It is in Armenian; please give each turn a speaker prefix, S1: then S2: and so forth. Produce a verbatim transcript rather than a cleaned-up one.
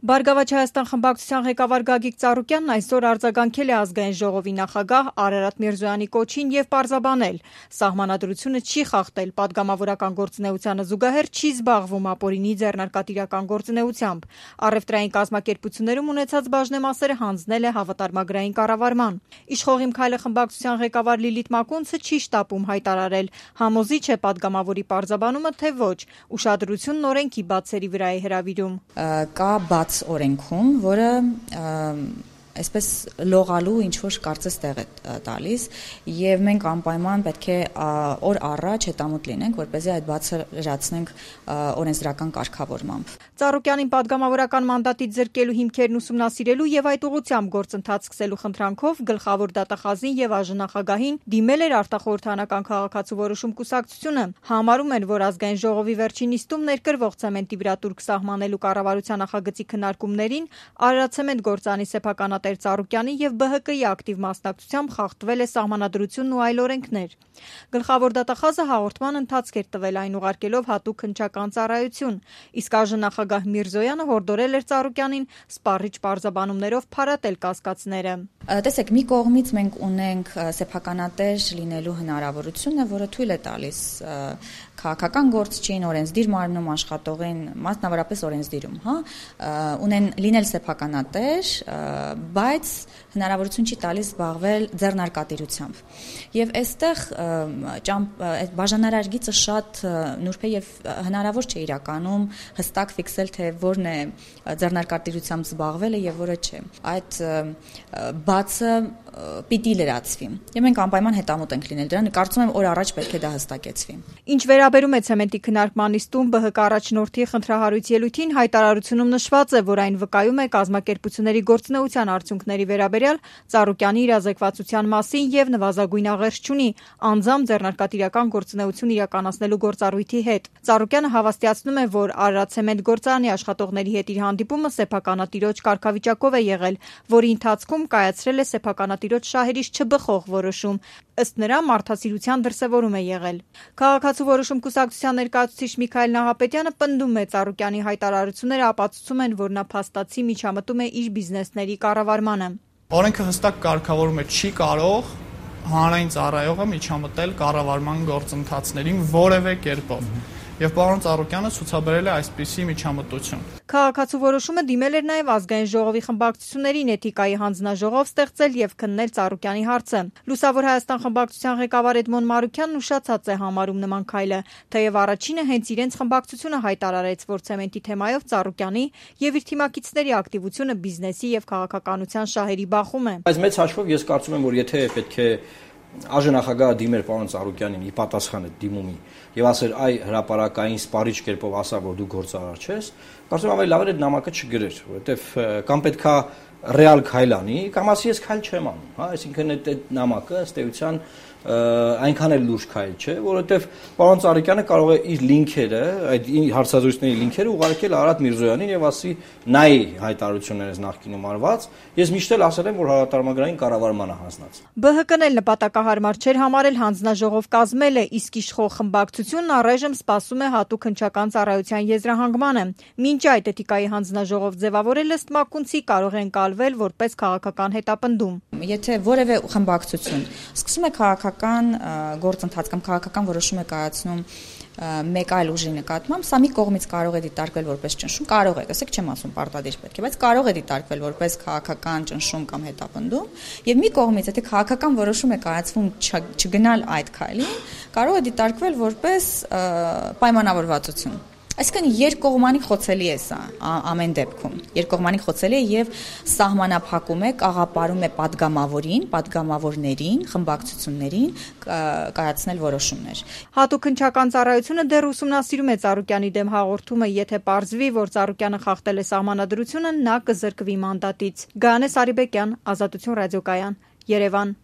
S1: Բարգավաճ Հայաստան խմբակցության ղեկավար Գագիկ Ծառուկյանն այսօր արձագանքել է Ազգային ժողովի նախագահ Արարատ Միրզոյանի կոչին եւ պարզաբանել. Սահմանադրությունը չի խախտել, պատգամավորական գործունեությանը զուգահեռ չի զբաղվում ապօրինի ձեռնարկատիրական գործունեությամբ։ Առևտրային կազմակերպություններում ունեցած բաժնեմասերը հանձնել է հավատարմագրային կառավարման։ Իշխող Իմ քայլը խմբակցության ղեկավար Լիլիթ Մակունցը չի շտապում հայտարարել. համոզիչ է պատգամավորի պարզաբանումը, թե ոչ։ Ուշադրությունն օրենքի բացերի վրա է հրավիրում։
S2: Կա բաց օրենքում, որը այսպես լողալու ինչ-որ կարծես տեղ է տալիս եւ մենք անպայման պետք է օր առաջ հետամուտ լինենք, որպեսզի այդ բացը լրացնենք օրենսդրական կարգավորմամբ։
S1: Ծառուկյանին պատգամավորական մանդատից զրկելու հիմքերն ուսումնասիրելու եւ այդ ուղղությամբ գործընթաց սկսելու խնդրանքով գլխավոր դատախազին եւ ԱԺ-նախագահին դիմել էր արտախորհրդանական քաղաքացու որոշում կուսակցությունը։ Համարում են, որ Ազգային ժողովի վերջին նիստում ներկրվող ցեմենտի վրա տուրք սահմանելու կառավարության նախագծի քննարկումներին Արարատցեմենտ գործանի սեփականատեր Ծառուկյանի եւ ԲՀԿ-ի ակտիվ մասնակցությամբ խախտվել է սահմանադրությունն ու այլ օրենքներ։ Գլխավոր դատախազը հաղորդման ընթացք էր տվել, այն ուղարկելով հատուկ հնչական ծառայություն, իսկ ԱԺ-նախագահ Միրզոյանը հորդորել էր Ծառուկյանին սպառիչ պարզաբանումներով փարատել կասկածները։
S2: Տեսեք, մի կողմից մենք ունենք սեփականատեր լինելու հնարավորությունը, որը թույլ է տալիս քաղաքական գործչին, օրենսդիր մարմնում աշխատողին, մասնավորապես օրենսդիրում, հա, ունեն լինել սեփականատեր, բայց հնարավորություն չի տալիս զբաղվել ձեռնարկատիրությամբ։ Եվ այստեղ բաժանարար գիծը շատ նուրբ է եւ հնարավոր չէ իրականում հստակ ֆիքսել, թե որն է ձեռնարկատիրությամբ զբաղվելը եւ որը չէ։ Այդ բացը պիտի լրացվի։ Եվ մենք անպայման հետամուտ ենք լինել դրան, կարծում եմ օր առաջ պետք է դա հստակեցվի։
S1: Ինչ վերաբերում է ցեմենտի քննարկման նիստում ԲՀԿ առաջնորդի խնդրահարույց ելույթին, հայտարարությունում նշված է, որ այն վկայում է կազմակերպությունների գործունեության արդյունքների վերաբերյալ Ծառուկյանի իրազեկվածության մասին եւ նվազագույն աղերս չունի անձամբ ձեռնարկատիրական գործունեություն իրականացնելու գործառույթի հետ։ Ծառուկյանը հավաստիացնում է, որ Արարատցեմենտ գործարանի աշխատողների հետ իր հանդիպումը սեփականատիրոջ կարգավիճակով է եղել, որի ընթացքում կայացրել է սեփականատիրոջ շահերից չբխող որոշում։ Ըստ նրա, մարդասիրության դրսևորում է եղել։ Քաղաքացու որոշում կուսակցության ներկայացուցիչ Միքայել Նահապետյանը պնդում է, Ծառուկյանի հայտարարությունները ապացուցում են, որ նա փաստացի միջամտում է իր բիզնեսների կառավարմանը։
S3: Օրենքը հստակ կարգավորում է, չի կարող հանրային ծառայողը միջամտել կառավարման գործընթացներին որևէ կերպով։ Եվ պարոն Ծառուկյանը ցուցաբերել է այսպիսի միջամտություն։
S1: Քաղաքացու որոշումը դիմել էր նաև Ազգային ժողովի խմբակցություններին էթիկայի հանձնաժողով ստեղծել եւ քննել Ծառուկյանի հարցը։ Լուսավոր Հայաստան խմբակցության ղեկավար Էդմոն Մարուկյանն ուշացած է համարում նման քայլը, թեև առաջինը հենց իրենց խմբակցությունը հայտարարեց, որ ցեմենտի թեմայով Ծառուկյանի եւ իր թիմակիցների ակտիվությունը բիզնեսի եւ քաղաքականության շահերի բախում է։
S4: Բայց մեծ հաշվով ես կարծում եմ, որ եթե պետք է ԱԺ-նախագահը դիմեր պարոն Ծառուկյանին ի պատասխան այդ դիմումի եւ ասեր այ հրապարակային սպառիչ կերպով ասա, որ դու գործարար ես, կարծում եմ ավելի լավ է այդ նամակը չգրեր, որովհետեւ կամ պետքա ռեալ քայլ անի, կամ ասի ես քայլ չեմ անում, հա, այսինքն այդ այդ նամակը ըստ էության այնքան էլ լուրջ քայլ չէ, որովհետեւ պարոն Ծառուկյանը կարող է իր լինքերը, այդ հարցազրույցների լինքերը ուղարկել Արարատ Միրզոյանին եւ ասի նայ հայտարարություններս նախկինում արված, ես միշտ էլ ասել եմ, որ հավատարմագրային կառավարմանը հանձնած։
S1: ԲՀԿ-ն էլ նպատակահարմար չէր համարել հանձնաժողով կազմելը, իսկ իշխող խմբակցությունն առայժմ սպասում է հատուկ հնչական ծառայության եզրահանգմանը։ Մինչ այդ էթիկայի հանձնաժողով ձևավորել ըստ Մակունցի կարող է ընկալվել որպես քաղաքական հետապնդում։
S2: Եթե որևէ խմբակցություն սկսում է քաղաքական գործընթաց կամ քաղաքական որոշում է կայացնում մեկ այլ ուժի նկատմամբ, սա մի կողմից կարող է դիտարկվել որպես ճնշում, կարող է, տեսեք, չեմ ասում պարտադիր պետք է, բայց կարող է դիտարկվել որպես քաղաքական ճնշում կամ հետապնդում, եւ մի կողմից, եթե քաղաքական որոշում է կայացվում չգնալ այդ քայլին, կարող է դիտարկվել որպես պայմանավորվածություն։ Այսինքն երկկողմանի խոցելի է սա ամեն դեպքում։ Երկկողմանի խոցելի է եւ սահմանափակում է, կաղապարում է падգամավորին, падգամավորներին, խմբակցություններին կայացնել որոշումներ։
S1: Հատուկ հնչական ծառայությունը դեռ ուսումնասիրում է Ծառուկյանի դեմ հաղորդումը, եթե պարզվի, որ Ծառուկյանը խախտել է սահմանադրությունը, նա կզրկվի մանդատից։ Գայանե Սարիբեկյան, Ազատություն ռադիոկայան, Երևան։